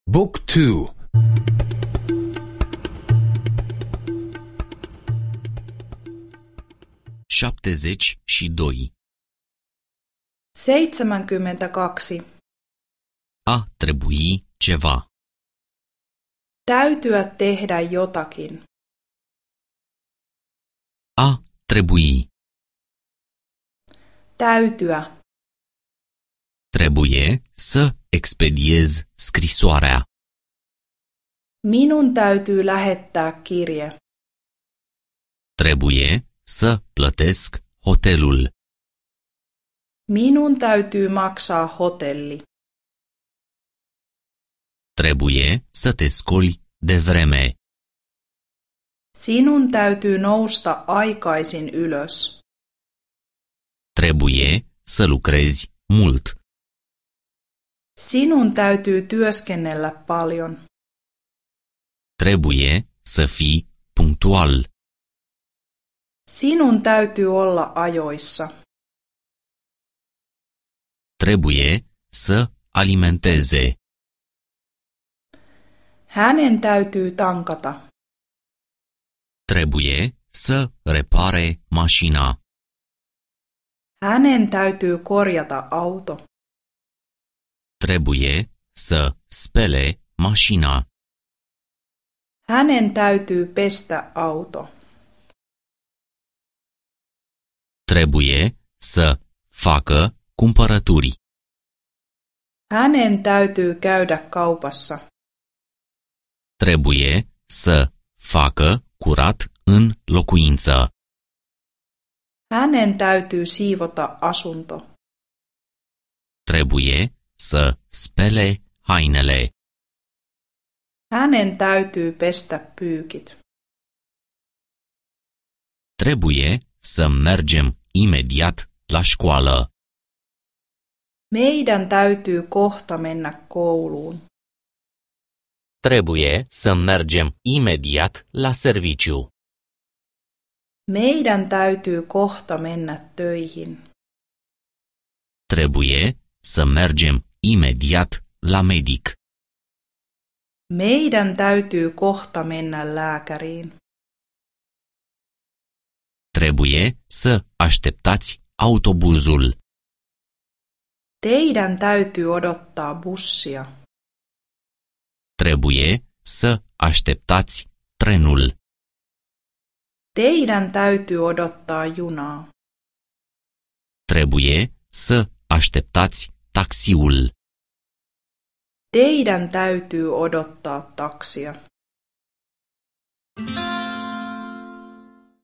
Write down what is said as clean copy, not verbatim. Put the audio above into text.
Book 2 72. 72. A trebui ceva. Täytyä tehdä jotakin. A trebui. Täytyä. Trebuie să expediez scrisoarea. Minun täytyy lähettää kirje. Trebuie să plătesc hotelul. Minun täytyy maksaa hotelli. Trebuie să te scoli devreme. Sinun täytyy nousta aikaisin ylös. Trebuie să lucrezi mult. Sinun täytyy työskennellä paljon. Trebuie să fii punctual. Sinun täytyy olla ajoissa. Trebuie să alimenteze. Hänen täytyy tankata. Trebuie să repare mașina. Hänen täytyy korjata auto. Trebuie să spele mașina. Hänen täytyy pestä auto. Trebuie să facă cumpărături. Hänen täytyy käydä kaupassa. Trebuie să facă curat în locuință. Hänen täytyy siivota asunto. Trebuie să spele hainele. Hänen täytyy pestä pyykit. Trebuie să mergem imediat la școală. Meidän täytyy kohta mennä kouluun. Trebuie să mergem imediat la serviciu. Meidän täytyy kohta mennä töihin. Trebuie să mergem imediat la medic. Meidän täytyy kohta mennä lääkäriin. Trebuie să așteptați autobuzul. Teidän täytyy odottaa bussia. Trebuie să așteptați trenul. Teidän täytyy odottaa junaa. Trebuie să așteptați taxiul. Teidän täytyy odottaa taksia.